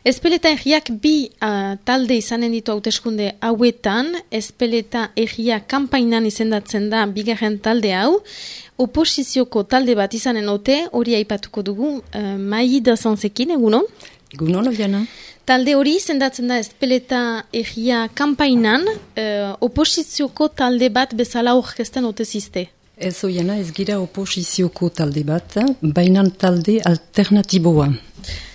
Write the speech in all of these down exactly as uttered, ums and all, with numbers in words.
Ezpeleta Egia bi uh, talde izanen ditu hauteskunde hauetan, Ezpeleta Egia kanpainan izendatzen da bigarren talde hau, oposizioko talde bat izanen ote, hori aipatuko dugu, uh, Maida Sanzekin, egunon? Egunon, Obiana. Talde hori izendatzen da Ezpeleta Egia kanpainan, uh, oposizioko talde bat bezala orkesten ote ziste. Ez Oiana, ez gira oposizioko talde bat, bainan talde alternatiboa.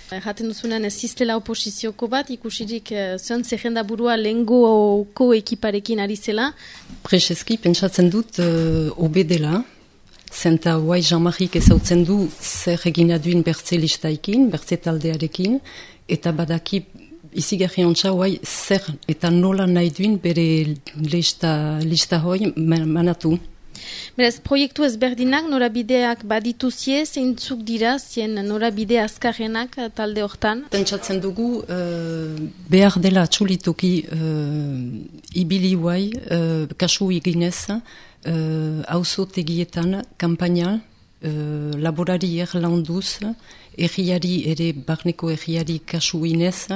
Jaten duzunean ez ziztela oposizioko bat, ikusirik uh, zuen zerrenda burua lehengoko ekiparekin ari zela. Prezeski, pentsatzen dut uh, obe dela, zenta guai Jean-Marik ezautzen du zer egina duin bertze listaikin, bertze taldearekin, eta badaki izigarri ontsa guai zer eta nola nahi duin bere lista, lista hoi manatu. Beraz, proiektu ezberdinak norabideak badituzie, zeintzuk dira, zien norabide azkarrenak talde hortan? Pentsatzen dugu, uh, behar dela atxulitoki uh, ibili guai, uh, kasu eginez, hauzo uh, tegietan, kampaina, uh, laborari erlanduz, erriari ere, barneko erriari kasu inez,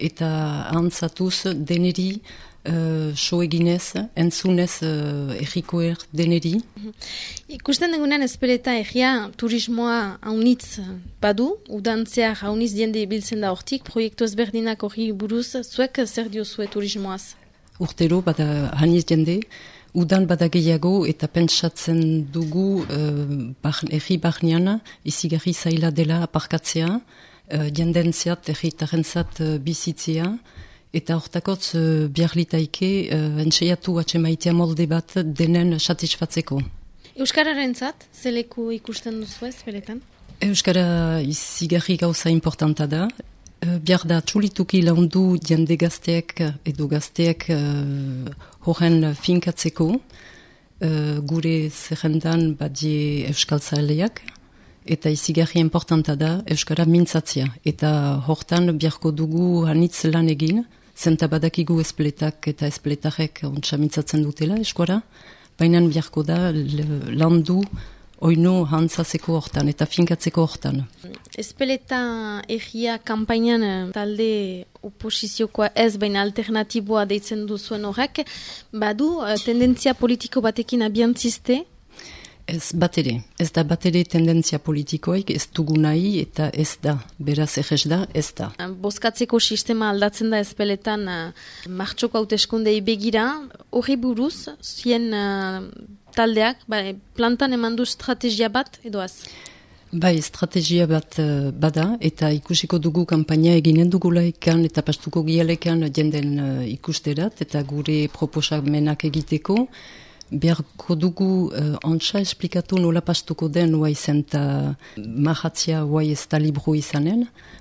eta ahantzatuz deneri, Uh, so eginez, entzunez uh, errikoer deneri. Ikusten degunean Ezpeleta Egia turismoa haunitz badu, udantzeak haunitz diende biltzen da hortik, proiektu ezberdinak hori buruz, zuek zer diozue turismoaz? Urtero bada hauniz diende, udan bada gehiago eta pentsatzen dugu uh, bar, erri barnean izigarri zaila dela aparkatzea, uh, diendentziat, erritarentzat uh, bizitzea, eta hortakotz uh, biarlitaike uh, entseiatu atxemaitea molde bat denen satisfatzeko. Euskararen zat, zeleku ikusten duzu ez, beletan? Euskara izigarri gauza importanta da. Uh, Biar da txulituki laundu jende gazteek edo gazteek uh, horren finkatzeko. Uh, gure zerrendan badie euskal zaileak. Eta izigarri importanta da euskara mintzatzea. Eta hortan biarko dugu hanitz lan egin, zenta badakigu Ezpeletak eta Ezpeletarek ontsa mintzatzen dutela eskuara, baina biarko da landu oino hantzazeko hortan eta finkatzeko hortan. Ezpeleta Egia kanpainan talde oposiziokoa ez, baina alternatiboa deitzen duzuen horrek, badu tendentzia politiko batekin abiantziste? Ez bat ere, ez da bat ere tendentzia politikoik, ez dugu nahi eta ez da, beraz egez da, ez da. Bozkatzeko sistema aldatzen da Ezpeletan uh, martxoko hauteskundei begira, hori buruz, zien uh, taldeak, ba, plantan eman du estrategia bat, edo az? Bai, estrategia bat uh, bada, eta ikusiko dugu kanpaina eginen dugulaikan eta pastuko gialekan jenden uh, ikusterat, eta gure proposamenak egiteko, beharko dugu uh, ontsa esplikatu nola pastuko den huai zenta mahatzia huai ez da libro izanen,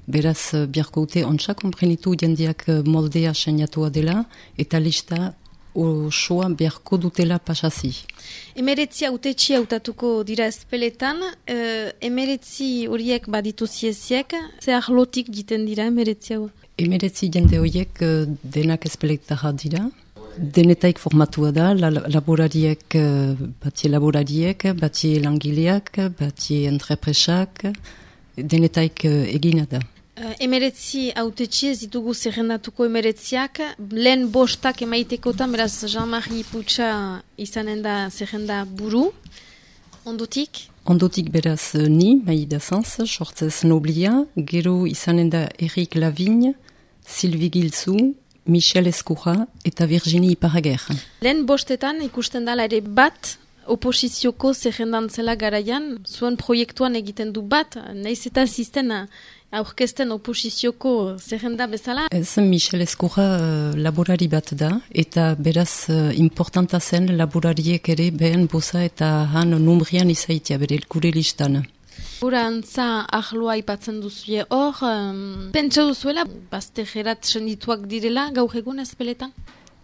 beraz uh, beharko ute ontsa komprenitu jendeak uh, moldea seniatua dela eta lista osoa beharko dutela pasazi. Emeretzi autetxi hautatuko dira Ezpeletan, uh, emeretzi horiek baditu zieziek, ze arlotik jiten dira emeretzi hau? Emeretzi jende horiek uh, denak Ezpeletara dira. Denetaik formatua da, la, laborariek, batie laborariek, batie langileak, batie entrepresak, denetaik egina da. Uh, emeretzi autetxi ez ditugu zerrendatuko emeretziak, lehen bostak emaitekotan, beraz Jean-Marie Putsa izanen da zerrenda buru, ondotik? Ondotik beraz ni, Maida Sanz, sortzez noblia, gero izanen da Eric Lavigne, Sylvie Gilzu, Michel Escura eta Virginie Iparager. Lehen bostetan ikusten dala ere bat oposizioko zerrendan zela garaian, zuen proiektuan egiten du bat, nahiz eta zizten aurkezten oposizioko zerrenda bezala? Ez, Michel Escura uh, laborari bat da, eta beraz uh, importanta zen laborariek ere behen boza eta han numbrian izaitia bere gure listan. Gura antza ahloa ipatzen duzuie hor, um, pentsa duzuela, baztegerat sendituak direla gaur egun Ezpeletan?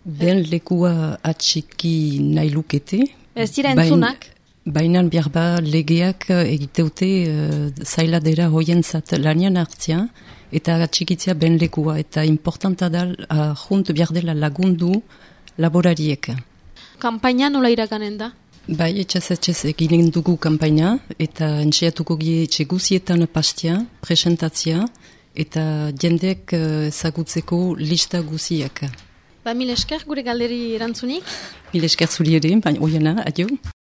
Ben lekua atxiki nahi lukete. Ez dira entzunak? Bainan behar ba legeak egiteute uh, zaila dira hoientzat lanian hartzia, eta atxikitzea ben lekua, eta importanta da uh, junt behar dela lagundu laborariek. Kampaina nola iraganen da? Bai, etxez etxez eginen dugu kampaina, eta entxeatuko gie etxe guzietan pastia, presentatzia, eta jendek ezagutzeko lista guziak. Ba, mil esker gure galderi erantzunik? Mil esker zuri ere, baina oiena, adio.